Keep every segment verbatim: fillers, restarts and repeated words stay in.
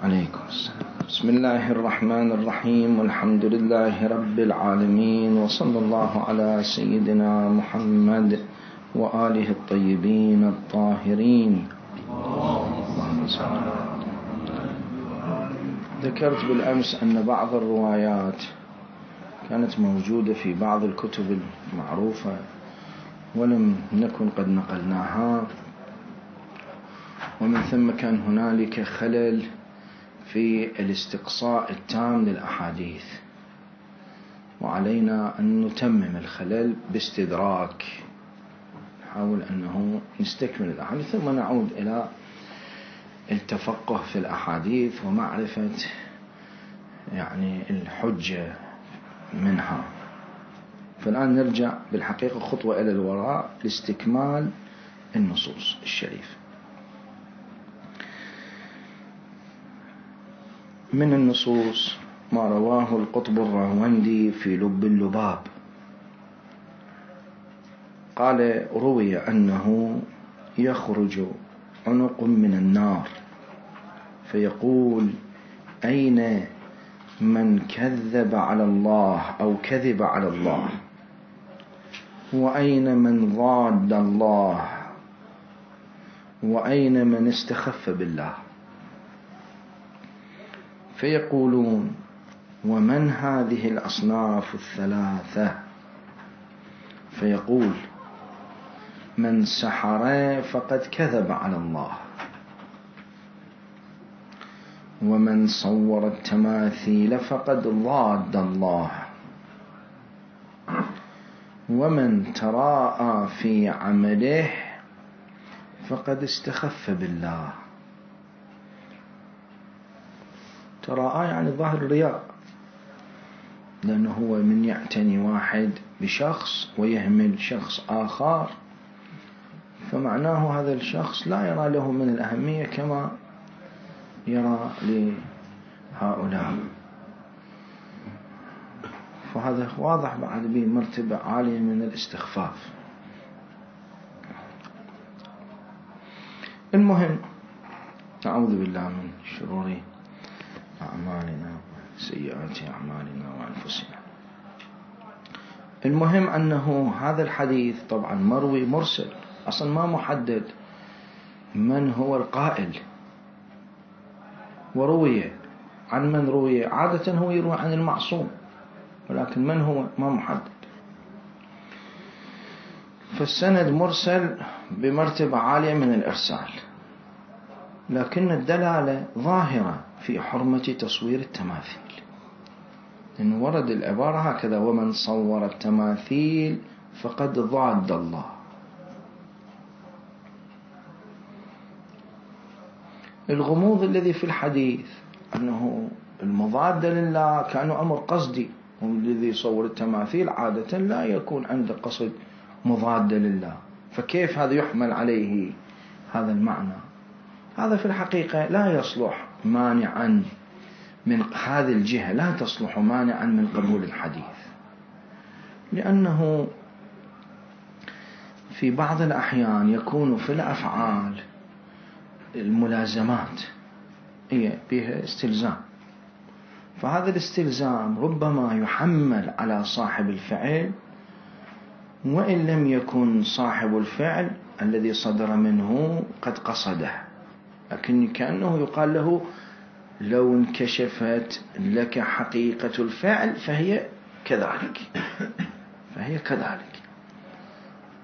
عليكم السلام. بسم الله الرحمن الرحيم، والحمد لله رب العالمين، وصلى الله على سيدنا محمد وآله الطيبين الطاهرين. ذكرت بالأمس أن بعض الروايات كانت موجودة في بعض الكتب المعروفة ولم نكن قد نقلناها، ومن ثم كان هنالك خلل في الاستقصاء التام للأحاديث، وعلينا أن نتمم الخلل باستدراك، نحاول أنه نستكمل الأحاديث ثم نعود إلى التفقه في الأحاديث ومعرفة يعني الحجة منها. فالآن نرجع بالحقيقة خطوة إلى الوراء لاستكمال النصوص الشريفة. من النصوص ما رواه القطب الراوندي في لب اللباب، قال: روي أنه يخرج عنق من النار فيقول: أين من كذب على الله أو كذب على الله، وأين من ضاد الله، وأين من استخف بالله؟ فيقولون: ومن هذه الأصناف الثلاثة؟ فيقول: من سحر فقد كذب على الله، ومن صور التماثيل فقد ضاد الله، ومن تراءى في عمله فقد استخف بالله. تراءى يعني ظاهر الرياء، لأنه هو من يعتني واحد بشخص ويهمل شخص آخر، فمعناه هذا الشخص لا يرى له من الأهمية كما يرى لهؤلاء، فهذا واضح بعد به مرتبة عالية من الاستخفاف. المهم، نعوذ بالله من شرور أعمالنا وسيئات أعمالنا وأنفسنا. المهم أنه هذا الحديث طبعا مروي مرسل، أصلا ما محدد من هو القائل، وروي عن من روي. عادة هو يروي عن المعصوم، ولكن من هو ما محدد. فالسند مرسل بمرتبة عالية من الإرسال، لكن الدلالة ظاهرة في حرمة تصوير التماثيل، لأنه ورد العبارة هكذا: ومن صور التماثيل فقد ضاد الله. الغموض الذي في الحديث أنه المضاد لله كأنه أمر قصدي، والذي يصور التماثيل عادة لا يكون عنده قصد مضاد لله، فكيف هذا يحمل عليه هذا المعنى؟ هذا في الحقيقة لا يصلح مانعا من هذه الجهة، لا تصلح مانعا من قبول الحديث، لأنه في بعض الأحيان يكون في الأفعال الملازمات هي بها استلزام، فهذا الاستلزام ربما يحمل على صاحب الفعل، وإن لم يكن صاحب الفعل الذي صدر منه قد قصده، لكن كأنه يقال له: لو انكشفت لك حقيقة الفعل فهي كذلك، فهي كذلك.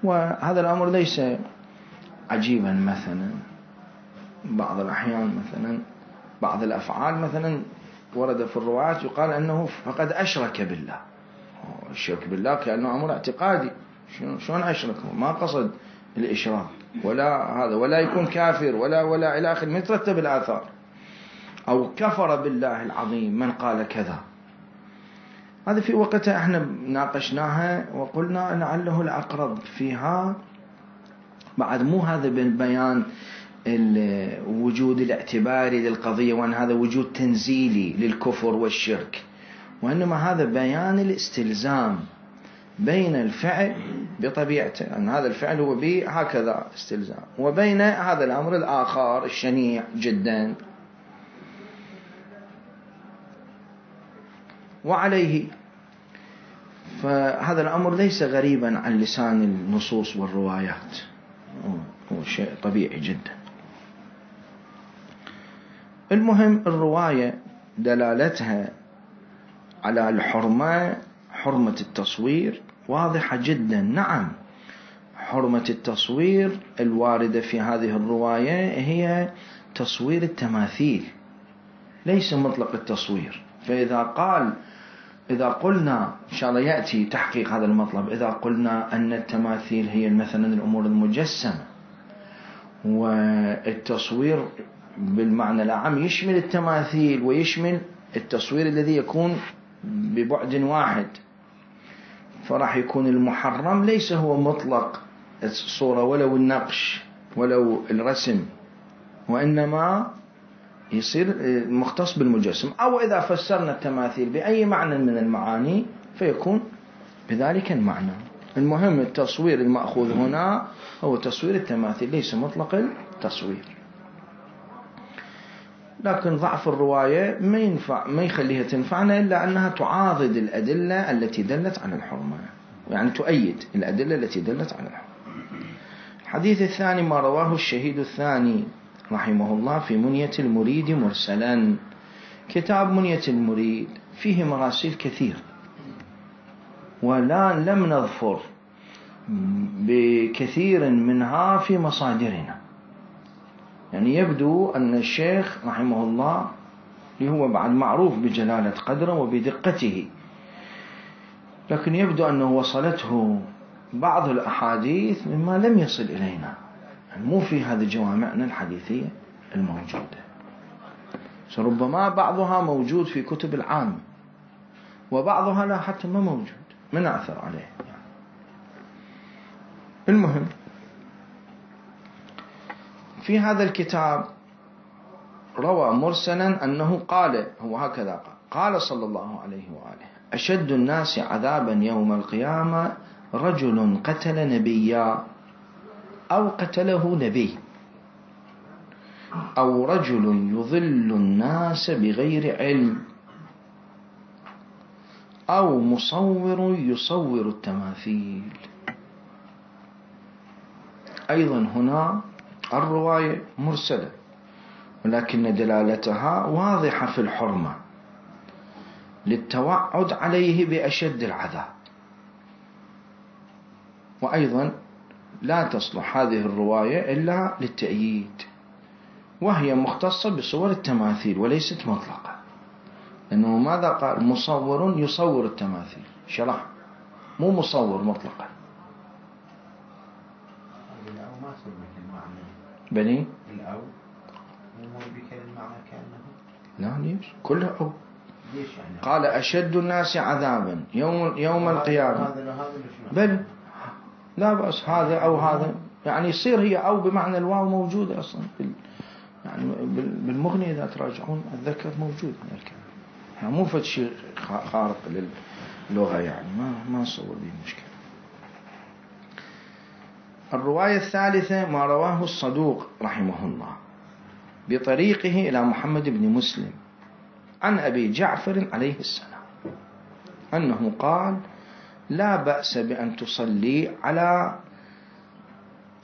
وهذا الأمر ليس عجيبا. مثلا بعض الأحيان مثلا بعض الأفعال مثلا ورد في الروايات يقال أنه فقد أشرك بالله. الشرك بالله كأنه أمر اعتقادي، شلون أشرك؟ ما قصد الإشراك ولا هذا، ولا يكون كافر ولا ولا إلى آخر، يترتب الآثار. أو كفر بالله العظيم من قال كذا. هذا في وقتها احنا ناقشناها وقلنا لعله الأقرب فيها بعد مو هذا بيان الوجود الاعتباري للقضية، وأن هذا وجود تنزيلي للكفر والشرك، وإنما هذا بيان الاستلزام بين الفعل بطبيعته، أن هذا الفعل هو به هكذا استلزام، وبين هذا الأمر الآخر الشنيع جدا وعليه. فهذا الأمر ليس غريبا عن لسان النصوص والروايات، هو شيء طبيعي جدا. المهم الرواية دلالتها على الحرمة، حرمة التصوير واضحة جدا. نعم، حرمة التصوير الواردة في هذه الرواية هي تصوير التماثيل، ليس مطلق التصوير. فإذا قال إذا قلنا إن شاء الله يأتي تحقيق هذا المطلب، إذا قلنا أن التماثيل هي مثلا الأمور المجسمة، والتصوير بالمعنى العام يشمل التماثيل ويشمل التصوير الذي يكون ببعد واحد، فراح يكون المحرم ليس هو مطلق الصورة ولو النقش ولو الرسم، وإنما يصير مختص بالمجسم. أو إذا فسرنا التماثيل بأي معنى من المعاني فيكون بذلك المعنى. المهم التصوير المأخوذ هنا هو تصوير التماثيل، ليس مطلق التصوير. لكن ضعف الرواية ما ينفع ما يخليها تنفعنا إلا أنها تعاضد الأدلة التي دلت على الحرمة، يعني تؤيد الأدلة التي دلت على الحرمة. الحديث الثاني ما رواه الشهيد الثاني رحمه الله في منية المريد مرسلا. كتاب منية المريد فيه مراسيل كثير، ولا لم نظفر بكثير منها في مصادرنا. يعني يبدو أن الشيخ رحمه الله اللي هو بعد معروف بجلالة قدره وبدقته، لكن يبدو أنه وصلته بعض الأحاديث مما لم يصل إلينا، يعني مو في هذه جوامعنا الحديثية الموجودة. فربما بعضها موجود في كتب العام وبعضها لا حتى ما موجود، ما نعثر عليه يعني. المهم في هذا الكتاب روى مرسلا أنه قال، هو هكذا قال: قال صلى الله عليه وآله: أشد الناس عذابا يوم القيامة رجل قتل نبيا أو قتله نبي، أو رجل يضل الناس بغير علم، أو مصور يصور التماثيل. أيضا هنا الرواية مرسلة، ولكن دلالتها واضحة في الحرمة للتوعد عليه بأشد العذاب. وأيضا لا تصلح هذه الرواية إلا للتأييد، وهي مختصة بصور التماثيل وليست مطلقة، لأنه ماذا قال؟ مصور يصور التماثيل، شرح مو مصور مطلقا. بني الأو مو بكل المعنى كأنه لا ليش كله أو ليش يعني؟ قال أشد الناس عذابا يوم يوم القيامة، بل لا بأس هذا أو هذا، يعني يصير هي أو بمعنى الواو موجودة أصلا بال يعني بالمغني إذا تراجعون أتذكر موجود من الكلام، يعني مو فد شيء خارق للغة، يعني ما ما صور به مشكلة. الرواية الثالثة ما رواه الصدوق رحمه الله بطريقه إلى محمد بن مسلم عن أبي جعفر عليه السلام أنه قال: لا بأس بأن تصلي على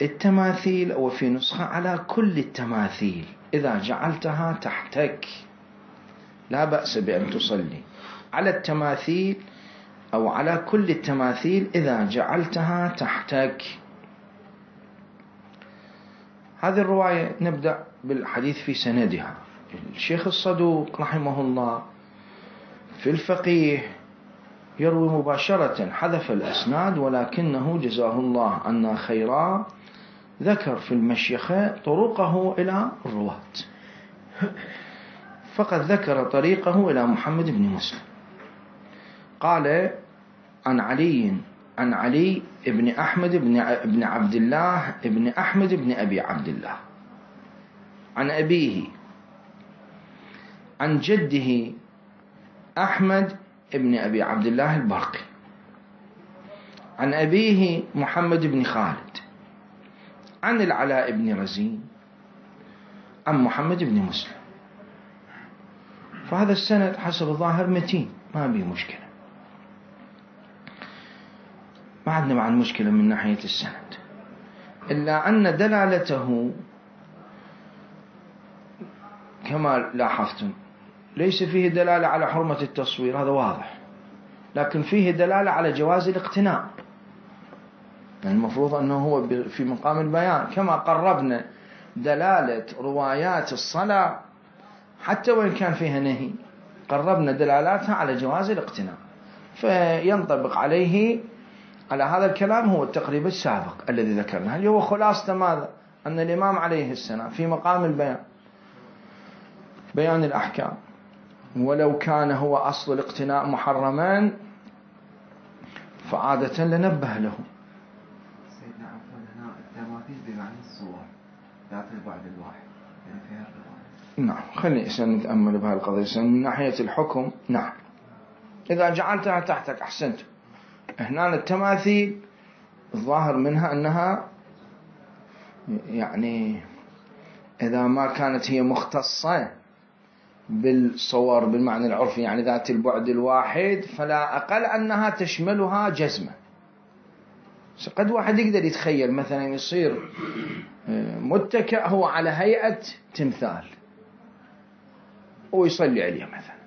التماثيل، أو في نسخة على كل التماثيل إذا جعلتها تحتك. لا بأس بأن تصلي على التماثيل أو على كل التماثيل إذا جعلتها تحتك. هذه الرواية نبدأ بالحديث في سندها. الشيخ الصدوق رحمه الله في الفقيه يروي مباشرة، حذف الأسناد، ولكنه جزاه الله عنا خيرا ذكر في المشيخة طرقه إلى الرواة، فقد ذكر طريقه إلى محمد بن مسلم. قال: عن علي عن علي ابن أحمد بن عبد الله ابن أحمد بن أبي عبد الله عن أبيه عن جده أحمد ابن أبي عبد الله البرقي عن أبيه محمد بن خالد عن العلاء بن رزين عن محمد بن مسلم. فهذا السند حسب الظاهر متين، ما بيه مشكلة. ما عندنا بعد مشكلة من ناحية السند، إلا أن دلالته كما لاحظتم ليس فيه دلالة على حرمة التصوير، هذا واضح، لكن فيه دلالة على جواز الاقتناء. يعني المفروض أنه هو في مقام البيان، كما قربنا دلالة روايات الصلاة حتى وإن كان فيها نهي قربنا دلالاتها على جواز الاقتناء، فينطبق عليه على هذا الكلام هو التقريب السابق الذي ذكرناه، اللي هو خلاصة ماذا؟ أن الإمام عليه السلام في مقام البيان، بيان الأحكام، ولو كان هو أصل الاقتناء محرمان فعادة لنبه له. سيدنا عفوا هنا التماثيل بمعنى الصور ذات البعد الواحد يعني فيها الرواية. نعم، خلينا نتأمل بهذه القضية من ناحية الحكم. نعم، إذا جعلتها تحتك أحسنت. هنا التماثيل الظاهر منها أنها يعني إذا ما كانت هي مختصة بالصور بالمعنى العرفي يعني ذات البعد الواحد، فلا أقل أنها تشملها جزمة. قد واحد يقدر يتخيل مثلا يصير متكئ هو على هيئة تمثال ويصلي عليه مثلا،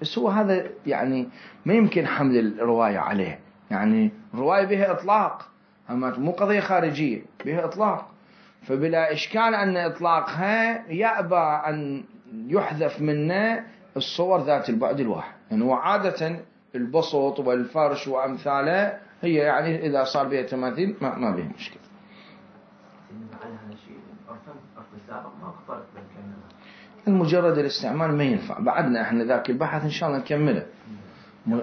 بس هو هذا يعني ما يمكن حمل الرواية عليه، يعني الرواية بها إطلاق، أما مو قضية خارجية، بها إطلاق، فبلا إشكال أن إطلاقها يأبى أن يحذف منه الصور ذات البعد الواحد. يعني وعادة البسط والفرش وأمثاله هي يعني إذا صار بها تماثيل ما, ما بها مشكلة. المجرد الاستعمال ما ينفع، بعدنا احنا ذاك البحث ان شاء الله نكمله.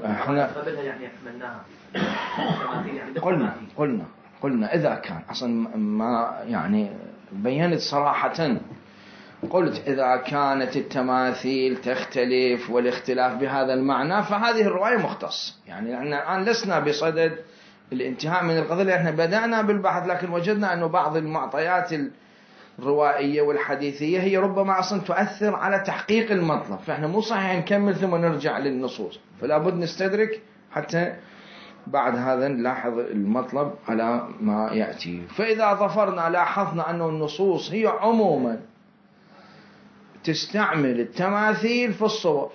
احنا قبلها يعني حملناها قلنا قلنا قلنا اذا كان اصلا ما يعني بينت صراحة، قلت إذا كانت التماثيل تختلف والاختلاف بهذا المعنى فهذه الرواية مختص. يعني احنا الآن لسنا بصدد الانتهاء من القضية، احنا بدأنا بالبحث لكن وجدنا أنه بعض المعطيات الروائية والحديثية هي ربما أصلا تؤثر على تحقيق المطلب، فاحنا مو صحيح نكمل ثم نرجع للنصوص، فلا بد نستدرك حتى بعد هذا نلاحظ المطلب على ما يأتي. فإذا ظفرنا لاحظنا أنه النصوص هي عموما تستعمل التماثيل في الصور،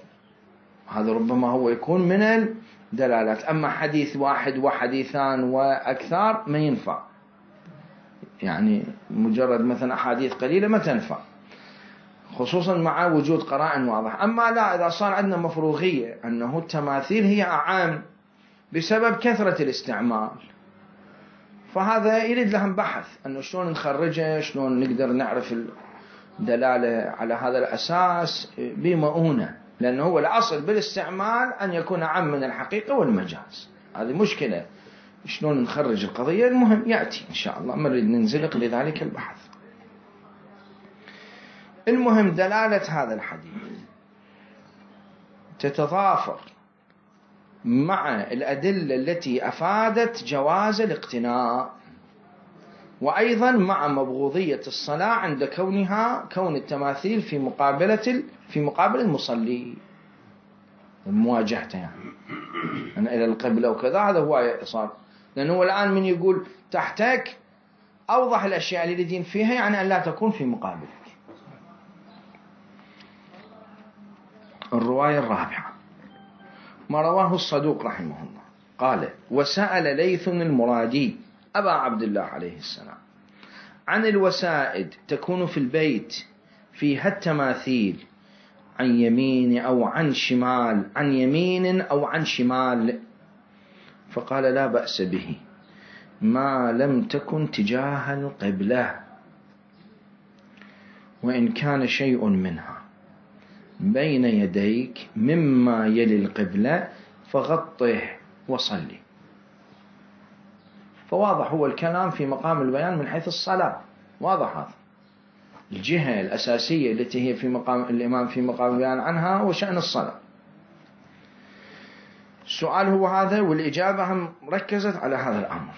هذا ربما هو يكون من الدلالات. أما حديث واحد وحديثان وأكثر ما ينفع، يعني مجرد مثلا أحاديث قليلة ما تنفع، خصوصا مع وجود قرائن واضح. أما لا، إذا صار عندنا مفروغية أنه التماثيل هي أعام بسبب كثرة الاستعمال، فهذا يريد لهم بحث أنه شلون نخرجه، شلون نقدر نعرف دلالة على هذا الأساس بمؤونة، لأنه هو الأصل بالاستعمال أن يكون عام من الحقيقة والمجاز. هذه مشكلة شلون نخرج القضية، المهم يأتي إن شاء الله ما نريد ننزلق لذلك البحث. المهم دلالة هذا الحديث تتضافر مع الأدلة التي أفادت جواز الاقتناء، وأيضا مع مبغوضية الصلاة عند كونها كون التماثيل في مقابلة في مقابل المصلي، مواجهته يعني أنا إلى القبلة وكذا، هذا هو صار. لأنه الآن من يقول تحتك أوضح الأشياء اللي يريدين فيها يعني أن لا تكون في مقابلك. الرواية الرابعة ما رواه الصدوق رحمه الله قال: وسأل ليث المرادي أبا عبد الله عليه السلام عن الوسائد تكون في البيت فيها التماثيل عن يمين أو عن شمال، عن يمين أو عن شمال، فقال: لا بأس به ما لم تكن تجاه القبلة، وإن كان شيء منها بين يديك مما يلي القبلة فغطه وصلي. فواضح هو الكلام في مقام البيان من حيث الصلاة، واضح هذا الجهة الأساسية التي هي في مقام الإمام في مقام البيان عنها وشأن الصلاة. السؤال هو هذا، والإجابة هم ركزت على هذا الأمر.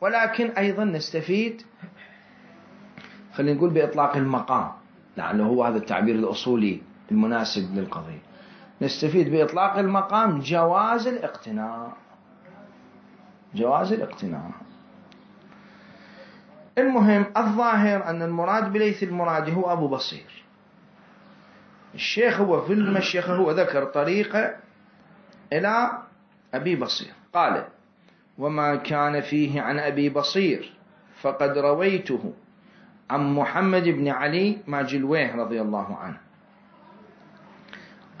ولكن أيضا نستفيد خلينا نقول بإطلاق المقام، لعله هو هذا التعبير الأصولي المناسب للقضية، نستفيد بإطلاق المقام جواز الاقتناء، جواز الاقتناء. المهم الظاهر أن المراد بليث المرادي هو أبو بصير. الشيخ هو في المشيخة هو ذكر طريقة إلى أبي بصير، قال: وما كان فيه عن أبي بصير فقد رويته عن محمد بن علي ماجلويه رضي الله عنه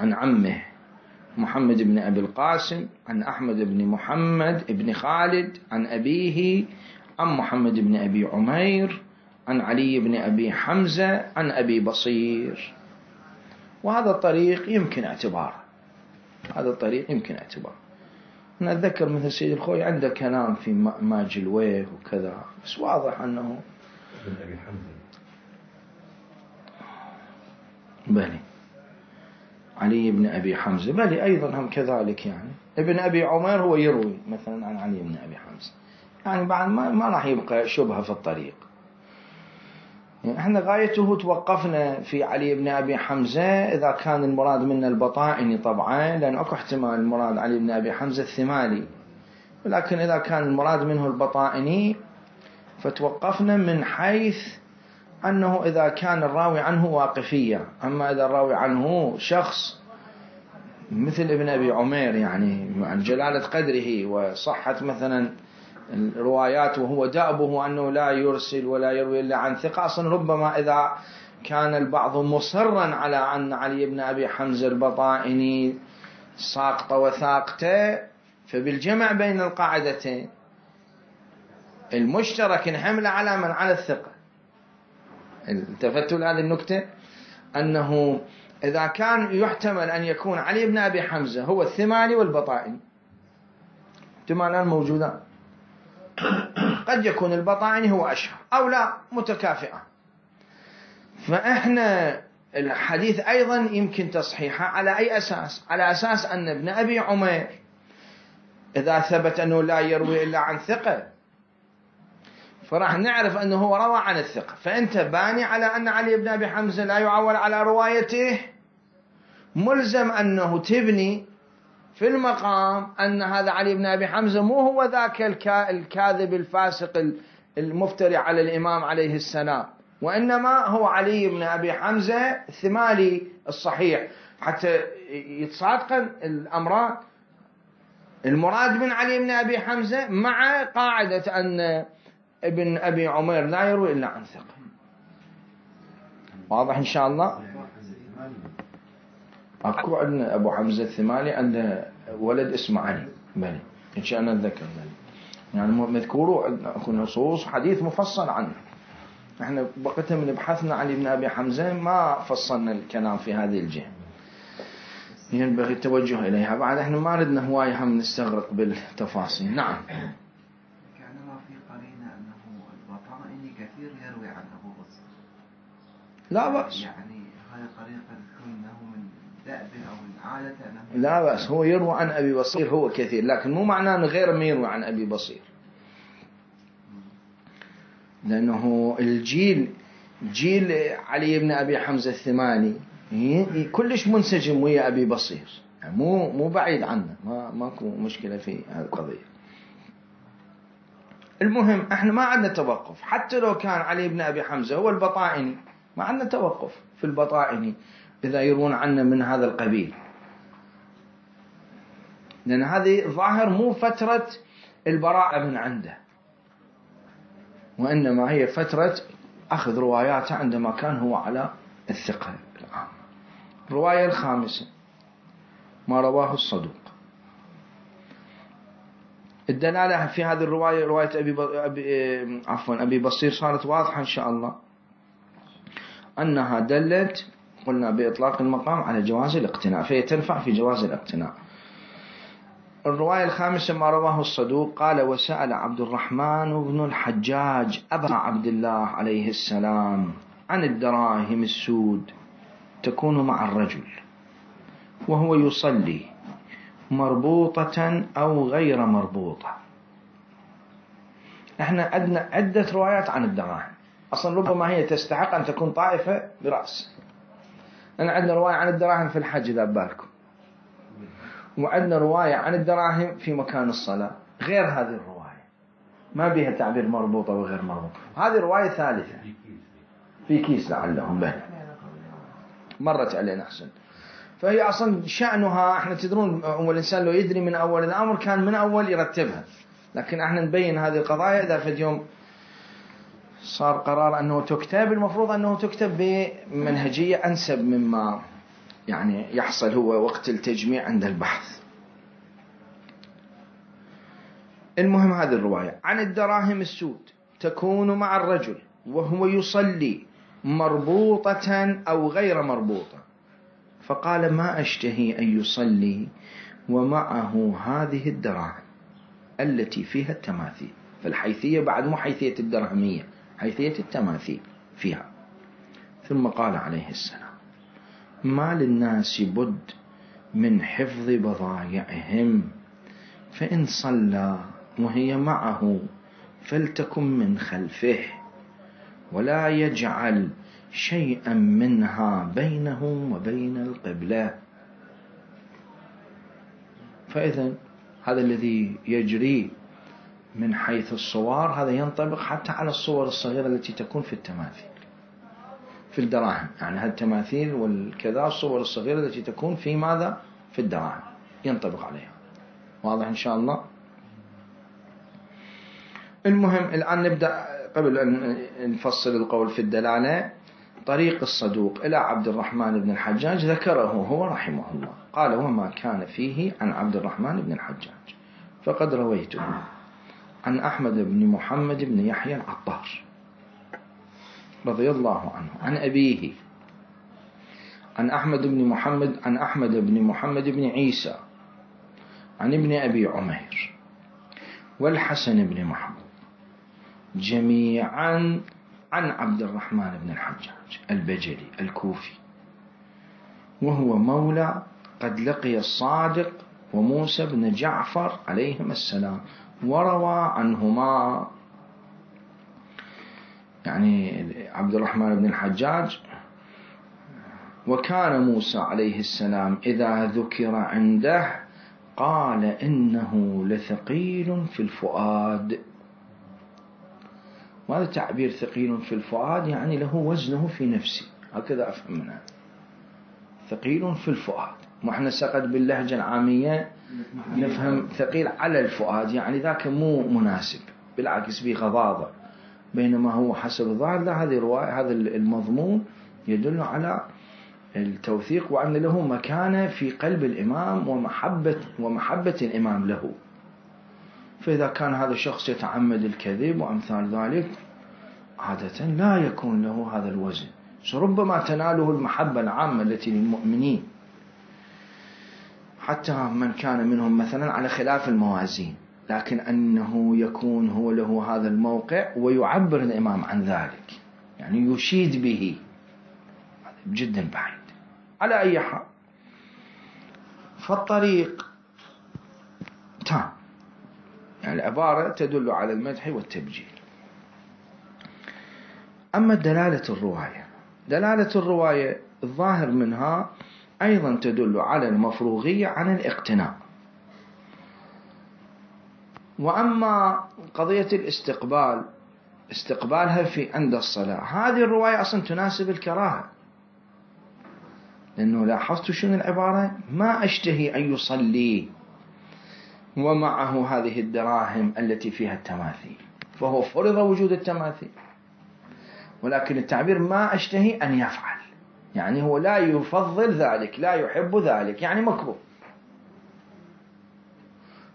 عن عمه محمد بن أبي القاسم عن أحمد بن محمد بن خالد عن أبيه عن محمد بن أبي عمير عن علي بن أبي حمزة عن أبي بصير. وهذا الطريق يمكن اعتباره، هذا الطريق يمكن اعتباره. أنا أتذكر مثل سيد الخوي عنده كلام في ماجلويه وكذا، بس واضح أنه ابن أبي حمزة بلي علي بن أبي حمزة بلي أيضا هم كذلك. يعني ابن أبي عمير هو يروي مثلا عن علي بن أبي حمزة، يعني بعد ما, ما راح يبقى شبهة في الطريق. يعني احنا غايته توقفنا في علي بن أبي حمزة إذا كان المراد منا البطائني طبعا، لأن أكو احتمال المراد علي بن أبي حمزة الثمالي، ولكن إذا كان المراد منه البطائني فتوقفنا من حيث أنه إذا كان الراوي عنه واقفية. أما إذا الراوي عنه شخص مثل ابن أبي عمير يعني عن جلالة قدره وصحة مثلا الروايات وهو دأبه أنه لا يرسل ولا يروي إلا عن ثقة، أصلا ربما إذا كان البعض مصرا على أن علي بن أبي حمزة البطائني ساقط وثاقته، فبالجمع بين القاعدتين المشترك نحمل على من على الثقة. التفتوا لهذه النكتة، أنه إذا كان يحتمل أن يكون علي بن أبي حمزة هو الثمالي والبطائني، احتمالان موجودان، قد يكون البطائني هو أشهر أو لا، متكافئة. فإحنا الحديث أيضا يمكن تصحيحه على أي أساس؟ على أساس أن ابن أبي عمير إذا ثبت أنه لا يروي إلا عن ثقة فراح نعرف أنه هو روى عن الثقة، فأنت باني على أن علي بن أبي حمزة لا يعول على روايته، ملزم أنه تبني في المقام أن هذا علي بن أبي حمزة مو هو ذاك الكاذب الفاسق المفتري على الإمام عليه السلام، وإنما هو علي بن أبي حمزة الثمالي الصحيح، حتى يتصادق الأمران. المراد من علي بن أبي حمزة مع قاعدة أن ابن أبي عمير لا يروي إلا عن ثقة. واضح إن شاء الله؟ أكو عندنا أبو حمزة الثمالي عنده ولد اسمه علي بلي، إن شاء الله نتذكر بلي، يعني مذكوروا أكو نصوص حديث مفصل عنه. إحنا بقيت من بحثنا علي بن أبي حمزة ما فصلنا الكلام في هذه الجهة، ينبغي التوجه إليها. بعد إحنا ما ردنا هواية هم نستغرق بالتفاصيل. نعم. كثير يروي عن أبو بصير. لا بأس. يعني هاي طريقة تكون أنه من دأبه أو من عادة أنه لا بأس، هو يروي عن أبي بصير هو كثير، لكن مو معناه أنه غير ما يروي عن أبي بصير، لأنه الجيل جيل علي بن أبي حمزة الثمالي كلش منسجم ويا أبي بصير، يعني مو مو بعيد عنه، ما ماكو مشكلة في هذه القضية. المهم احنا ما عندنا توقف، حتى لو كان علي بن أبي حمزة هو البطائني ما عندنا توقف في البطائني إذا يرون عنا من هذا القبيل، لأن هذه ظاهر مو فترة البراءة من عنده، وإنما هي فترة أخذ رواياته عندما كان هو على الثقة. الرواية الخامسة ما رواه الصدوق. الدلالة في هذه الرواية رواية أبي, ب... أبي عفوا أبي بصير صارت واضحة إن شاء الله، أنها دلت قلنا بإطلاق المقام على جواز الاقتناء، فهي تنفع في جواز الاقتناء. الرواية الخامسة ما رواه الصدوق قال: وسأل عبد الرحمن بن الحجاج أبا عبد الله عليه السلام عن الدراهم السود تكون مع الرجل وهو يصلي مربوطة أو غير مربوطة. احنا عندنا عدة روايات عن الدراهم، أصلا ربما هي تستحق أن تكون طائفة برأس. أنا عندنا رواية عن الدراهم في الحج إذا بالكم، وعندنا رواية عن الدراهم في مكان الصلاة غير هذه الرواية، ما بها تعبير مربوطة وغير مربوطة. هذه رواية ثالثة في كيس لعلهم به مرت علينا أحسن. فهي أصلا شأنها احنا تدرون والإنسان لو يدري من أول الأمر كان من أول يرتبها، لكن احنا نبين هذه القضايا إذا في اليوم صار قرار أنه تكتب، المفروض أنه تكتب بمنهجية أنسب مما يعني يحصل هو وقت التجميع عند البحث. المهم هذه الرواية عن الدراهم السود تكون مع الرجل وهو يصلي مربوطة أو غير مربوطة، فقال ما أشتهي أن يصلي ومعه هذه الدراهم التي فيها التماثيل. فالحيثية بعد مو حيثية الدرهمية، حيثية التماثيل فيها. ثم قال عليه السلام ما للناس بد من حفظ بضائعهم، فإن صلى وهي معه فلتكن من خلفه ولا يجعل شيئا منها بينه وبين القبلة. فإذا هذا الذي يجري من حيث الصور هذا ينطبق حتى على الصور الصغيرة التي تكون في التماثيل في الدراهم، يعني هالتماثيل والكذا الصور الصغيرة التي تكون في ماذا في الدراهم ينطبق عليها. واضح إن شاء الله. المهم الآن نبدأ قبل أن نفصل القول في الدلالة. طريق الصدوق إلى عبد الرحمن بن الحجاج ذكره هو رحمه الله، قال وما كان فيه عن عبد الرحمن بن الحجاج فقد رويته عن أحمد بن محمد بن يحيى العطار رضي الله عنه عن أبيه عن أحمد بن محمد عن أحمد بن محمد بن عيسى عن ابن أبي عمير والحسن بن محمود جميعا عن عبد الرحمن بن الحجاج البجلي الكوفي، وهو مولى قد لقي الصادق وموسى بن جعفر عليهم السلام وروى عنهما. يعني عبد الرحمن بن الحجاج وكان موسى عليه السلام إذا ذكر عنده قال إنه لثقيل في الفؤاد. وهذا تعبير ثقيل في الفؤاد يعني له وزنه في نفسي، هكذا أفهم منها ثقيل في الفؤاد. وإحنا سقد باللهجة العامية نفهم ثقيل على الفؤاد يعني ذاك مو مناسب، بالعكس به غضاضة، بينما هو حسب الظاهر لا، هذه الرواية هذا المضمون يدل على التوثيق وأن له مكانة في قلب الإمام ومحبة ومحبة الإمام له. فإذا كان هذا الشخص يتعمد الكذب وأمثال ذلك عادة لا يكون له هذا الوزن، ربما تناله المحبة العامة التي للمؤمنين حتى من كان منهم مثلا على خلاف الموازين، لكن أنه يكون هو له هذا الموقع ويعبر الإمام عن ذلك يعني يشيد به جدا بعيد. على أي حال فالطريق تام، يعني العبارة تدل على المدح والتبجيل. أما دلالة الرواية، دلالة الرواية الظاهر منها أيضا تدل على المفروغية عن الاقتناء. وأما قضية الاستقبال استقبالها في عند الصلاة، هذه الرواية أصلا تناسب الكراهة، لأنه لاحظت شنو العبارة ما أشتهي أن يصلي ومعه هذه الدراهم التي فيها التماثيل، فهو فرض وجود التماثيل، ولكن التعبير ما أشتهي أن يفعل يعني هو لا يفضل ذلك لا يحب ذلك يعني مكروه.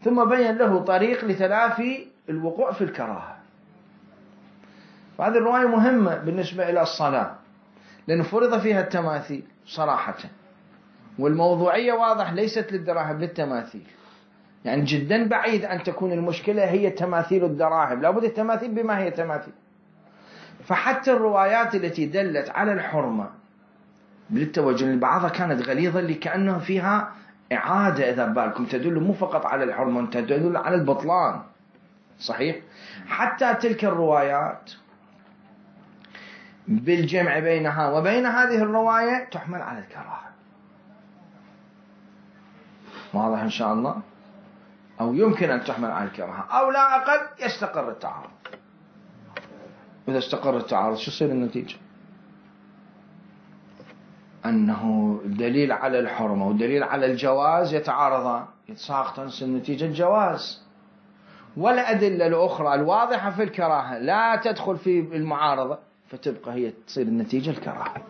ثم بين له طريق لتلافي الوقوع في الكراهة. فهذه الرواية مهمة بالنسبة إلى الصلاة لأنه فرض فيها التماثيل صراحة، والموضوعية واضح ليست للدراهم للتماثيل، يعني جدا بعيد أن تكون المشكلة هي تماثيل الدراهم، لابد التماثيل بما هي تماثيل. فحتى الروايات التي دلت على الحرمة بالتوجه بعضها كانت غليظة لكأنها فيها إعادة، إذا بالكم تدل مو فقط على الحرمة تدل على البطلان. صحيح حتى تلك الروايات بالجمع بينها وبين هذه الرواية تحمل على الكراهة. واضح إن شاء الله؟ أو يمكن أن تحمل على الكراهة أو لا أقل يستقر التعارض. إذا استقر التعارض شو يصير النتيجة؟ أنه الدليل على الحرمة والدليل على الجواز يتعارضان، يتساقطان، تصير النتيجة الجواز. والأدلة الأخرى الواضحة في الكراهة لا تدخل في المعارضة، فتبقى هي تصير النتيجة الكراهة.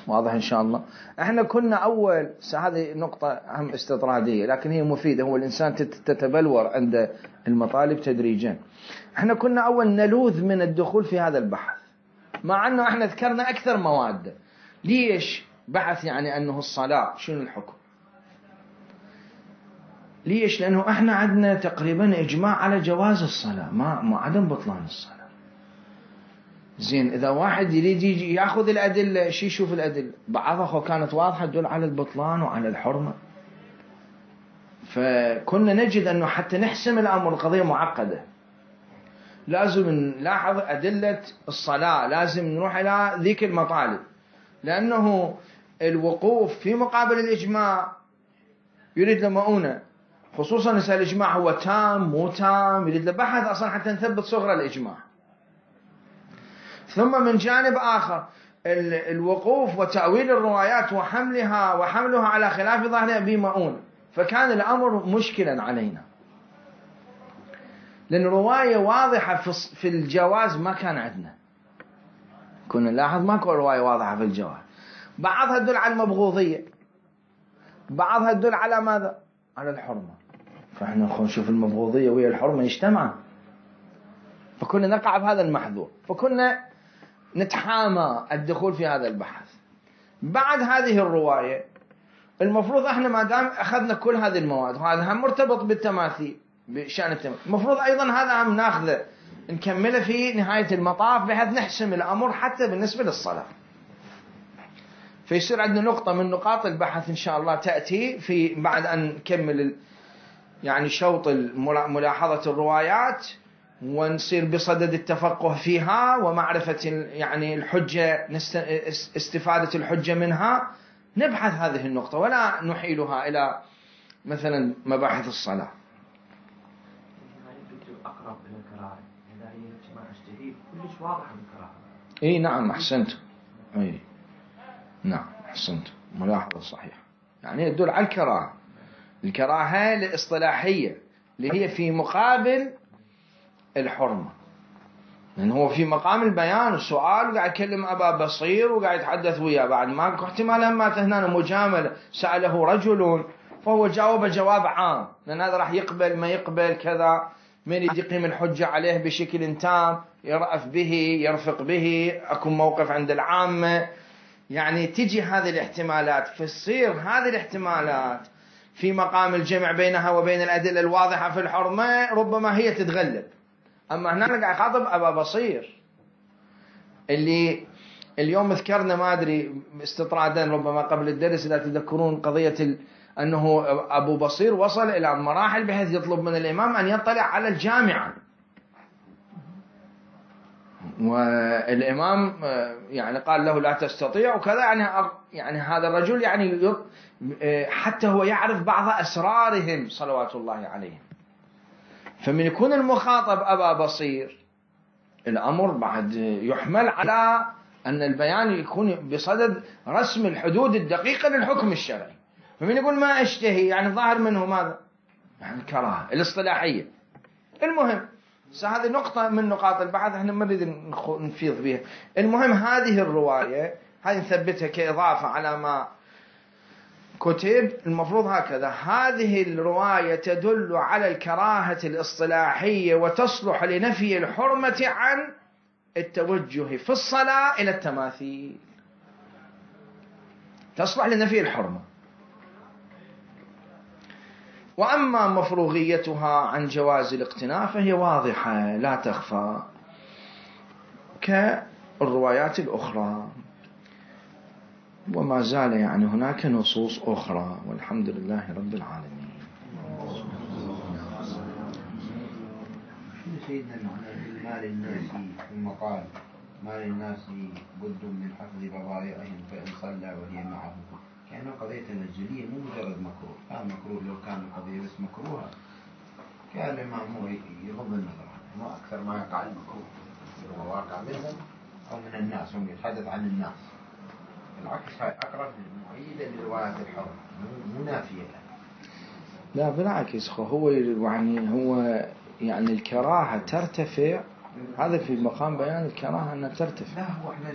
واضح إن شاء الله؟ احنا كنا أول هذه نقطة أهم استطرادية لكن هي مفيدة، هو الإنسان تتبلور عند المطالب تدريجا. احنا كنا أول نلوذ من الدخول في هذا البحث، مع أنه احنا ذكرنا أكثر مواد. ليش بحث يعني أنه الصلاة شنو الحكم؟ ليش؟ لأنه احنا عندنا تقريبا إجماع على جواز الصلاة، ما ما عدم بطلان الصلاة. زين، إذا واحد يريد يجي يأخذ الأدلة، شي يشوف الأدلة، بعضها كانت واضحة تدل على البطلان وعلى الحرمة. فكنا نجد أنه حتى نحسم الأمر القضية معقدة، لازم نلاحظ أدلة الصلاة، لازم نروح إلى ذيك المطالب، لأنه الوقوف في مقابل الإجماع يريد له مؤونة، خصوصا إذا الإجماع هو تام مو تام، يريد له بحث أصلا حتى نثبت صغر الإجماع. ثم من جانب آخر الوقوف وتأويل الروايات وحملها وحملها على خلاف ظاهرها بمؤونة، فكان الأمر مشكلا علينا، لأن رواية واضحة في الجواز ما كان عندنا. كنا نلاحظ ماكو رواية واضحة في الجواز، بعضها تدل على المبغوضية، بعضها تدل على ماذا؟ على الحرمة. فإحنا نشوف المبغوضية وهي الحرمة يجتمعا، فكنا نقع بهذا المحذور، فكنا نتحامى الدخول في هذا البحث. بعد هذه الرواية المفروض احنا ما دام أخذنا كل هذه المواد، وهذا هم مرتبط بالتماثيل بشأن التماثيل، المفروض أيضا هذا هم ناخذه نكمله في نهاية المطاف بحيث نحسم الأمر حتى بالنسبة للصلاة. فيصير عندنا نقطة من نقاط البحث إن شاء الله تأتي في بعد أن نكمل يعني شوط ملاحظة الروايات، ونصير بصدد التفقه فيها ومعرفة يعني الحجة، استفادة الحجة منها، نبحث هذه النقطة ولا نحيلها إلى مثلا مباحث الصلاة. أقرب إلى الكراهة، إذا هي اجتماع اجتهاد كلش واضح الكراهة. إيه نعم أحسنت، إيه نعم أحسنت، ملاحظة صحيحة، يعني يدل على الكراهة. الكراهة الاصطلاحية اللي هي في مقابل الحرمة، لأنه هو في مقام البيان والسؤال، وقاعد يكلم أبا بصير وقاعد يتحدث وياه، بعد ما احتمال ما هنا مجاملة، سأله رجل فهو جاوب جواب عام، لأن هذا راح يقبل ما يقبل كذا، من يقيم الحجة عليه بشكل تام، يرأف به يرفق به، أكون موقف عند العامة، يعني تجي هذه الاحتمالات. فتصير هذه الاحتمالات في مقام الجمع بينها وبين الأدلة الواضحة في الحرمة ربما هي تتغلب. أما هنا قاعد يخاطب أبا بصير اللي اليوم ذكرنا ما أدري استطرادا ربما قبل الدرس إذا تذكرون قضية ال... أنه أبو بصير وصل إلى مراحل بحيث يطلب من الإمام أن يطلع على الجامعة، والإمام يعني قال له لا تستطيع وكذا، يعني يعني هذا الرجل يعني حتى هو يعرف بعض أسرارهم صلوات الله عليهم. فمن يكون المخاطب أبا بصير الأمر بعد يحمل على أن البيان يكون بصدد رسم الحدود الدقيقة للحكم الشرعي. فمن يقول ما أشتهي يعني ظاهر منه ماذا؟ يعني الكراهة الاصطلاحية. المهم هذه نقطة من نقاط البحث احنا ما نريد نفيض بها. المهم هذه الرواية هذه نثبتها كإضافة على ما كتب. المفروض هكذا، هذه الرواية تدل على الكراهة الاصطلاحية وتصلح لنفي الحرمة عن التوجه في الصلاة إلى التماثيل، تصلح لنفي الحرمة. وأما مفروغيتها عن جواز الاقتناء فهي واضحة لا تخفى كالروايات الأخرى، وما زال يعني هناك نصوص أخرى، والحمد لله رب العالمين. شنو سيدنا المعنى مال الناس ثم قال مال الناس بد من حفظ بضائعهم فإن صلى ولي معه، يعني قضية الجلية مو مجرد مكروه، كان مكروه لو كان القضية بس مكروهة كان الإمام هو يغض النظر عنه، ما أكثر ما يقع المكروه هو واقع منهم أو من الناس، هم يتحدث عن الناس. بالعكس هاي أقرب مؤيدة لرواية الحر مو نافية لها. لا بالعكس، هو يعني هو يعني الكراهة ترتفع، هذا في مقام بيان الكراهة أنها ترتفع. لا هو احنا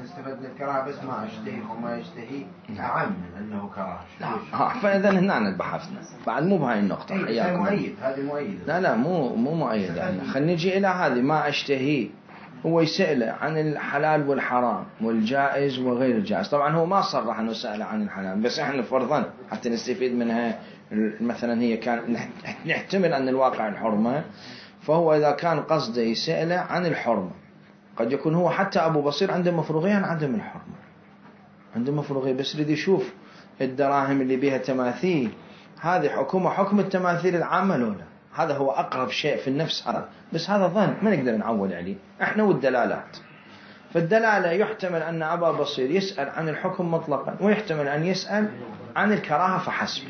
نستفدنا الكراهة بس ما اشتهي وما يشتهي أعم من أنه كراهة. لا فإذا هنا بحثنا بعد مو بهاي النقطة. هذا مؤيد، هذا مؤيد. لا لا مو مو مؤيد يعني. خلينا نجي إلى هذه ما اشتهي. هو يسأله عن الحلال والحرام والجائز وغير الجائز. طبعا هو ما صرح أنه سأله عن الحلال، بس احنا فرضا حتى نستفيد منها. مثلا هي كان نحتمل أن الواقع الحرمة، فهو إذا كان قصده يسأله عن الحرمة، قد يكون هو حتى أبو بصير عنده مفروغية عن عدم الحرمة، عنده مفروغية بس يريد يشوف الدراهم اللي بيها تماثيل هذه حكومة حكم التماثيل العامة لولا. هذا هو أقرب شيء في النفس هذا، بس هذا ظن ما نقدر نعول عليه احنا والدلالات. فالدلالة يحتمل أن أبا بصير يسأل عن الحكم مطلقا، ويحتمل أن يسأل عن الكراهة فحسب،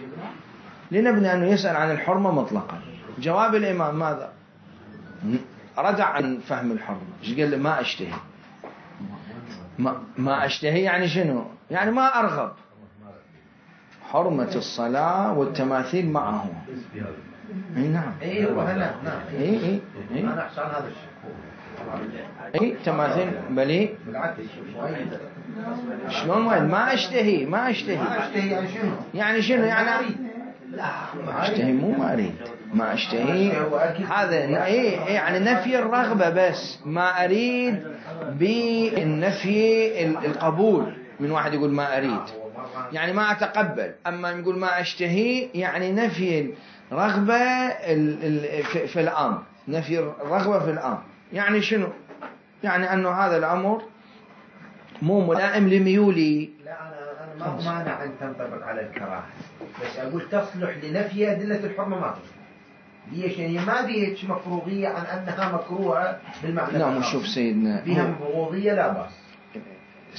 لنبني أنه يسأل عن الحرمة مطلقا. جواب الإمام ماذا؟ ردع عن فهم الحرمة. ايش قال له؟ ما أشتهي. ما, ما أشتهي يعني شنو؟ يعني ما أرغب. حرمة الصلاة والتماثيل معه. اي نعم. اي وهنا نعم. اي اي اي انا احسن هذا الشيء. اي تماثيل بلي. بالعكس شلون وين؟ ما أشتهي ما أشتهي. ما أشتهي يعني شنو؟ يعني شنو يعني؟ لا ما أشتهي مو ما أريد. ما أشتهي هذا إيه يعني نفي الرغبة، بس ما أريد بالنفي القبول. من واحد يقول ما أريد يعني ما أتقبل، أما يقول ما أشتهي يعني نفي الرغبة في الأمر، نفي الرغبة في الأمر. يعني شنو؟ يعني أنه هذا الأمر مو ملائم لميولي. لا أنا أنا ما مانع أن تنطبق على الكراهة، بس أقول تصلح لنفي أدلة الحرمة ما تصلح. ليش؟ يعني ما بيهش مفروغية عن أنها مكروهة بالمعنى. نعم. شوف سيدنا فيها مفروغية لا بأس.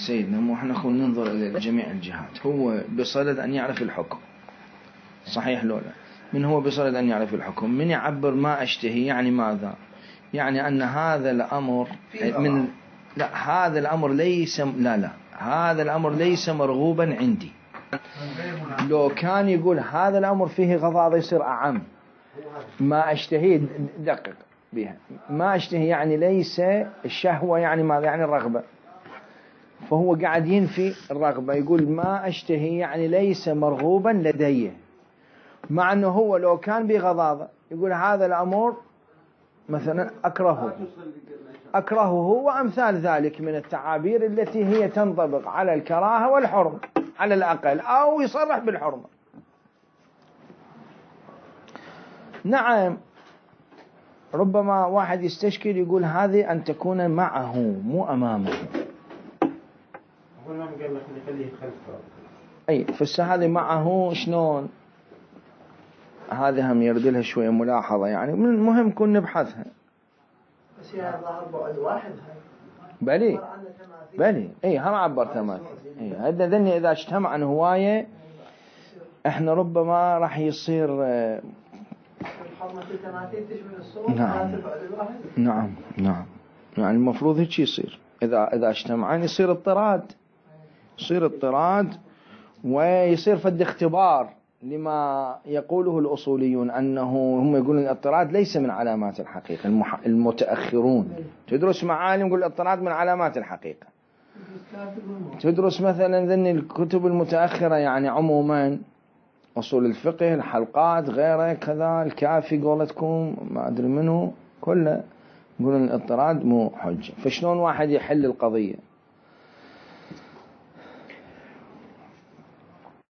سيدنا مو احنا خلينا ننظر إلى جميع الجهات. هو بصدد أن يعرف الحكم صحيح لولا؟ من هو بصدد أن يعرف الحكم؟ من يعبر ما أشتهي يعني ماذا؟ يعني أن هذا الأمر من لا هذا الأمر ليس لا لا هذا الأمر ليس مرغوبا عندي. لو كان يقول هذا الأمر فيه غضاضة يصير أعم. ما أشتهي دقق بها. ما أشتهي يعني ليس الشهوة يعني ماذا؟ يعني الرغبة. فهو قاعد ينفي الرغبة، يقول ما أشتهي يعني ليس مرغوبا لدي، مع أنه هو لو كان بغضاضة يقول هذا الأمر مثلا أكرهه أكرهه وأمثال ذلك من التعابير التي هي تنطبق على الكراهة والحرمة على الأقل، أو يصرح بالحرمة. نعم ربما واحد يستشكل يقول هذه أن تكون معه مو أمامه. أقول لهم قال لك نخليه خلفه. أي فس هذه معه شلون؟ هذه هم يرد لها شوية ملاحظة يعني، من المهم كن نبحثها. بس هي ظهر بعد واحد هاي. بلي بلي اي هم عبر تماثيل. اي هذا ذني اذا اجتمع عن هواية احنا ربما راح يصير الحرمة التماثيل تشمل الصور. نعم نعم نعم يعني المفروض هيك يصير. اذا اذا اجتمعان يصير اضطراد، يصير اضطراد ويصير فد اختبار لما يقوله الأصوليون، أنه هم يقولون الاضطراد ليس من علامات الحقيقة. المح... المتأخرون تدرس معالم يقول الاضطراد من علامات الحقيقة. تدرس مثلا ذن الكتب المتأخرة يعني عموما أصول الفقه الحلقات غيره كذا الكافي قولتكم ما أدري منه كله يقولون الاضطراد مو حجة. فشلون واحد يحل القضية؟